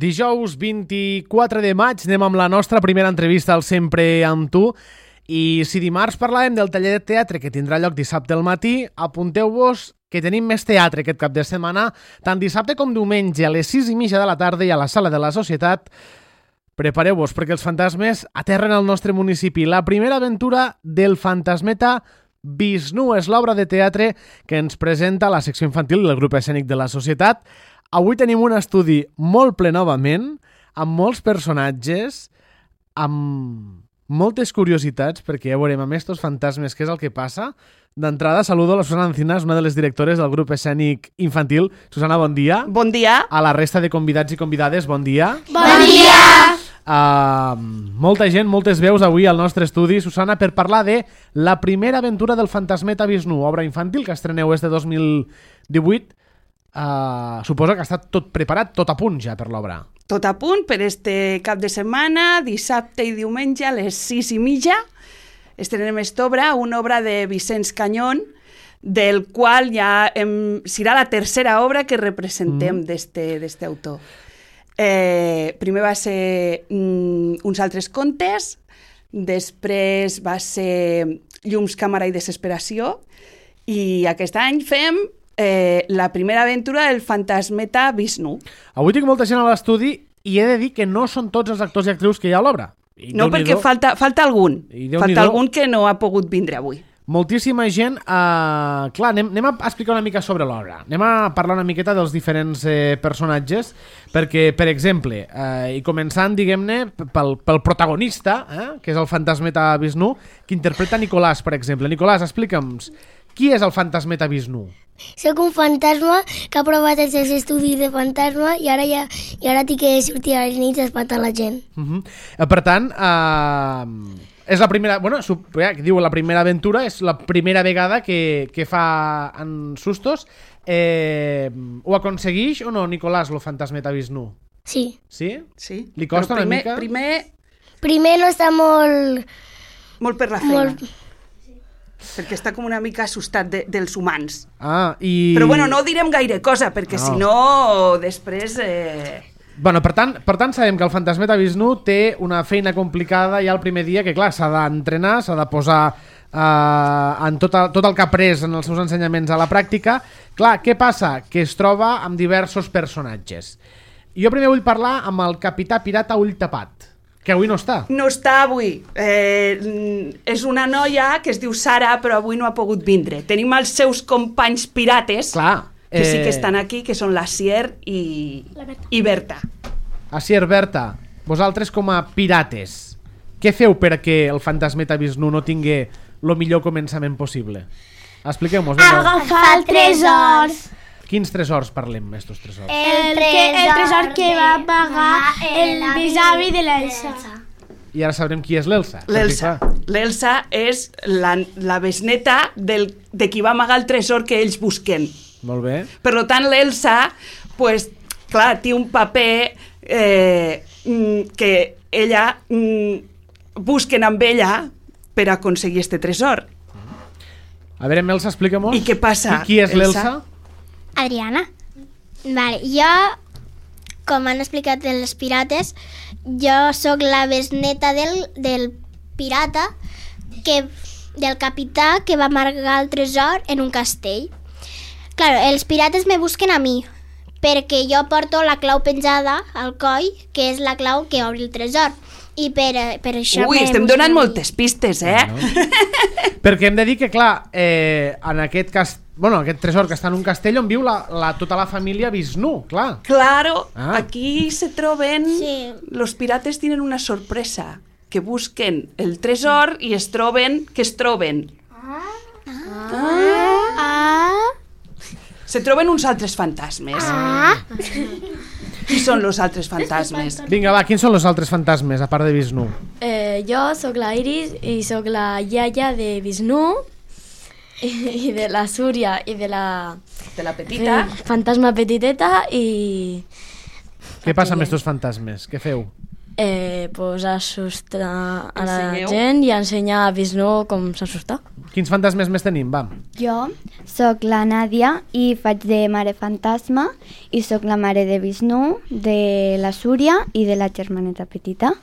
Dijous 24 de maig anem amb la nostra primera entrevista al Sempre amb tu. I si dimarts parlàvem del taller de teatre que tindrà lloc dissabte al matí, apunteu-vos que tenim més teatre aquest cap de setmana, tant dissabte com diumenge a les 6:30 de la tarda i a la Sala de la Societat. Prepareu-vos perquè els fantasmes aterren al nostre municipi. La primera aventura del fantasmeta Vishnu és l'obra de teatre que ens presenta la secció infantil del grup escènic de la Societat. Avui tenim un estudi molt ple novament, amb molts personatges, amb moltes curiositats, perquè ja veurem amb estos fantasmes què és el que passa. D'entrada, saludo a la Susana Encinas, una de les directores del grup escènic infantil. Susana, bon dia. Bon dia. A la resta de convidats i convidades, bon dia. Bon dia. Molta gent, moltes veus avui al nostre estudi, Susana, per parlar de la primera aventura del fantasmeta Vishnu, obra infantil que estreneu este 2018. Suposo que ha estat tot preparat, tot a punt ja per l'obra. Tot a punt per este cap de setmana, dissabte i diumenge a les 6:30. Estrenem esta obra, una obra de Vicenç Cañón, del qual ja serà la tercera obra que representem d'este autor. Primer va ser uns altres contes, després va ser Llums, càmera i desesperació, i aquest any fem la primera aventura del fantasmeta Vishnu. Avui tinc molta gent a l'estudi i he de dir que no són tots els actors i actrius que hi ha a l'obra. No, perquè falta algun. Falta algun que no ha pogut vindre avui. Moltíssima gent. Clar, anem a explicar una mica sobre l'obra. Anem a parlar una miqueta dels diferents personatges, perquè, per exemple, i començant, diguem-ne, pel protagonista, que és el fantasmeta Vishnu, que interpreta Nicolàs, per exemple. Nicolàs, explica'ns, qui és el fantasmeta Vishnu? Soc un fantasma que ha provat els seus estudis de fantasma i ara tinc que sortir a les nits a espantar la gent. Per tant, és la primera... Bueno, diu la primera aventura, és la primera vegada que fa en sustos. Ho aconsegueix o no, Nicolàs, el fantasmeta Vishnu? Sí. Sí? Sí. Li costa una mica? Primer no està molt... Molt per la feina. Perquè està com una mica assustat dels humans. Però bueno, no direm gaire cosa, perquè si no, després... Bueno, per tant, sabem que el fantasmeta Vishnu té una feina complicada ja el primer dia, que clar, s'ha d'entrenar, s'ha de posar en tot el que ha après en els seus ensenyaments a la pràctica. Clar, què passa? Que es troba amb diversos personatges. Jo primer vull parlar amb el capità pirata Ull Tapat, que avui no està. No està avui. És una noia que es diu Sara, però avui no ha pogut vindre. Tenim els seus companys pirates, que sí que estan aquí, que són l'Asier i Berta. Asier, Berta, vosaltres com a pirates, què feu perquè el fantasmeta Vishnu no tingui el millor començament possible? Expliqueu-nos. Agafar el tresors. Quins tresors parlem, estos tresors? El tresor que va pagar el besavi de l'Elsa. I ara sabrem qui és l'Elsa. L'Elsa és la besneta de qui va amagar el tresor que ells busquen. Molt bé. Per tant, l'Elsa, pues, clar, té un paper que ella busquen amb ella per aconseguir este tresor. A veure, Elsa, explica-mos. I què passa, Qui és l'Elsa? Adriana. Vale, jo, com han explicat els pirates, jo sóc la besneta del pirata, del capità que va amagar el tresor en un castell. Claro, els pirates me busquen a mi, perquè jo porto la clau penjada al coll, que és la clau que obre el tresor. I per això... Ui, estem donant moltes pistes, Perquè hem de dir que, clar, en aquest tresor que està en un castell on viu tota la família Vishnu, clar. Claro, aquí se troben... Sí. Los pirates tienen una sorpresa, que busquen el tresor i es troben... Se troben uns altres fantasmes. Qui són els altres fantasmes? Vinga, va, quins són els altres fantasmes, a part de Vishnu? Jo sóc la Iris i sóc la iaia de Vishnu i de la Súria i de la petita. Fantasma petiteta i... Què passa amb estos fantasmes? Què feu? Pues assustar a la gent i ensenyar a Vishnu com s'assustar. Quins fantasmes més tenim, va? Jo Soc la Nàdia i faig de mare fantasma i soc la mare de Vishnu, de la Súria i de la germaneta petita.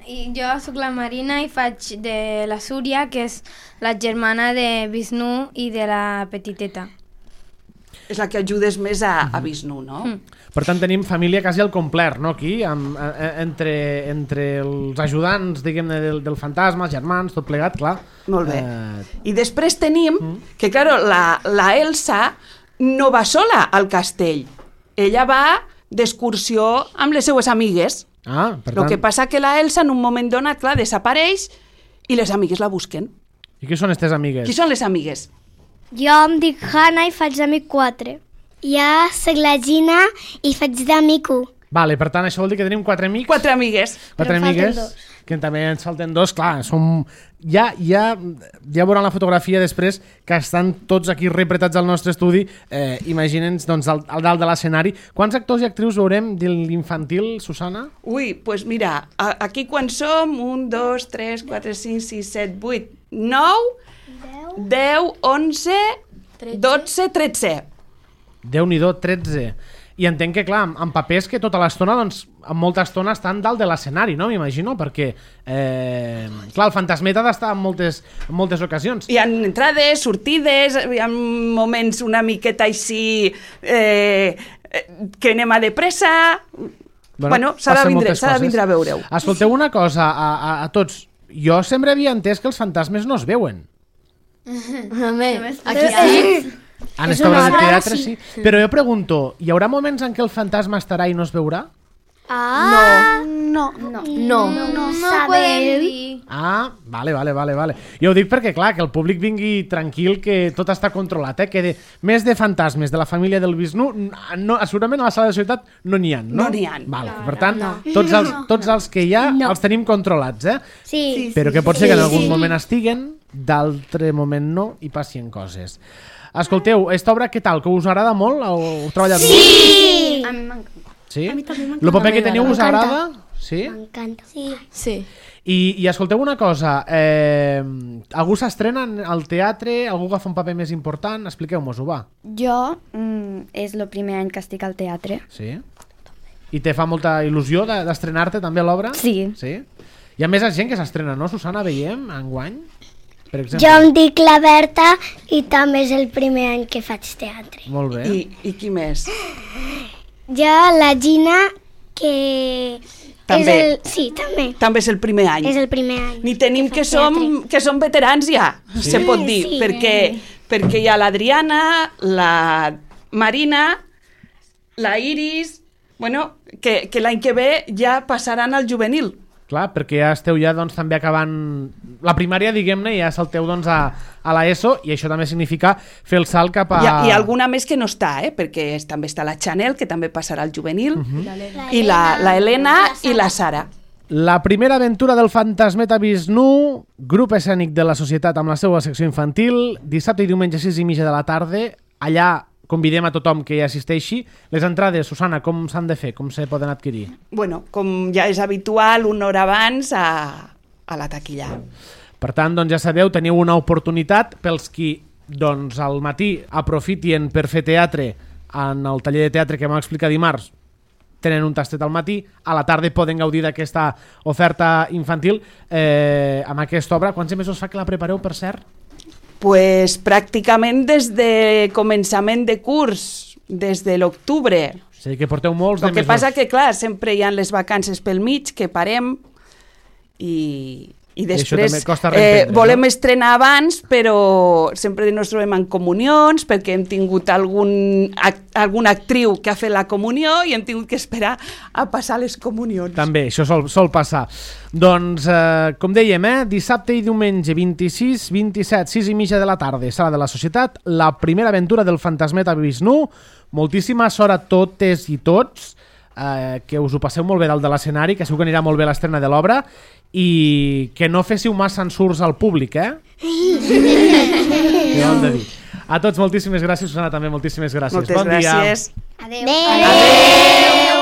I jo sóc la Marina i faig de la Súria, que és la germana de Vishnu i de la petiteta. És la que ajudes més a Vishnu, no? Per tant, tenim família quasi al complet, no, aquí, entre els ajudants, diguem-ne, del fantasma, els germans, tot plegat, clar. Molt bé. I després tenim que, claro, la Elsa no va sola al castell. Ella va d'excursió amb les seues amigues. Ah, per tant... El que passa que la Elsa, en un moment donat, clar, desapareix i les amigues la busquen. I qui són aquestes amigues? Qui són les amigues? Jo em dic Hanna i faig d'amic 4. Jo soc la Gina i faig d'amic 1. Vale, per tant, això vol dir que tenim 4 amics. 4 amigues. 4 amigues, que també ens falten 2, clar, som... Ja veuran la fotografia després que estan tots aquí repretats al nostre estudi, imagina'ns doncs, al dalt de l'escenari. Quants actors i actrius veurem de l'infantil, Susana? Ui, doncs pues mira, aquí quan som, 1, 2, 3, 4, 5, 6, 7, 8, 9, 10, 11, 12, 13. Déu-n'hi-do, 13. I entenc que, clar, en papers que tota l'estona, doncs, en molta estona estan dalt de l'escenari, no? M'imagino, perquè, clar, el fantasmeta ha d'estar en moltes ocasions. Hi ha entrades, sortides, hi ha moments una miqueta així que anem a de pressa... Bueno, s'ha de vindre a veure-ho. Escolteu una cosa, a tots. Jo sempre havia entès que els fantasmes no es veuen. Aquí sí. En esta obra de teatre sí. Però jo pregunto, hi haurà moments en què el fantasma estarà i no es veurà? No podem dir. Ah, vale. Jo ho dic perquè, clar, que el públic vingui tranquil, que tot està controlat, que més de fantasmes de la família del Vishnu, segurament a la sala de societat no n'hi ha, no? No n'hi ha. Vale, per tant, tots els que hi ha els tenim controlats, Sí. Però que pot ser que en algun moment estiguen, d'altre moment no, i passin coses. Escolteu, aquesta obra què tal? Que us agrada molt? Heu treballat molt? Sí! A mi m'encanta. Sí? A mi també m'encanta. El paper que teniu us agrada? Sí? M'encanta. Sí. I escolteu una cosa, algú s'estrena al teatre? Algú agafa un paper més important? Expliqueu-mos-ho, va. Jo és el primer any que estic al teatre. Sí? I te fa molta il·lusió d'estrenar-te també a l'obra? Sí. Sí? Hi ha més gent que s'estrena, no, Susana? Veiem, enguany? Per exemple. Jo em dic la Berta i també és el primer any que faig teatre. Molt bé. I qui més? Jo, la Gina, que... També. Sí, també. També és el primer any. És el primer any. Ni tenim que faig som veterans ja, Sí? se pot dir, Sí. perquè hi ha l'Adriana, la Marina, la Iris, bueno, que l'any que ve ja passaran al juvenil. Clar, perquè ja esteu doncs, també acabant la primària, diguem-ne, i ja salteu doncs, a l'ESO, i això també significa fer el salt cap a... Hi ha alguna més que no està, perquè també està la Chanel, que també passarà al juvenil, i la Helena i la Sara. La primera aventura del fantasmeta Vishnu, grup escènic de la societat amb la seva secció infantil, dissabte i diumenge 6:30 de la tarda, allà convidem a tothom que hi assisteixi. Les entrades, Susana, com s'han de fer? Com se poden adquirir? Bueno, com ja és habitual, una hora abans a la taquilla. Per tant, doncs ja sabeu, teniu una oportunitat pels qui doncs, al matí aprofitien per fer teatre en el taller de teatre que vam explicar dimarts, tenen un tastet al matí, a la tarda poden gaudir d'aquesta oferta infantil amb aquesta obra. Quants mesos fa que la prepareu, per cert? Pues pràcticament des de començament de curs, des de l'octubre. És a dir, que porteu molts de El que mesos. passa que, clar, sempre hi ha les vacances pel mig, que parem i després també costa reemprendre, volem estrenar abans, però sempre ens trobem en comunions, perquè hem tingut alguna actriu que ha fet la comunió i hem tingut que esperar a passar les comunions. També, això sol passar. Doncs, com dèiem, dissabte i diumenge 26, 27, 6:30 de la tarda, sala de la societat, la primera aventura del fantasmeta Vishnu. Moltíssima sort a totes i tots, que us ho passeu molt bé dalt de l'escenari, que segur que anirà molt bé l'estrena de l'obra, i que no féssiu massa ensurts al públic, Què heu de dir? A tots moltíssimes gràcies, Susana, també moltíssimes gràcies. Moltes bon dia. gràcies. Adéu.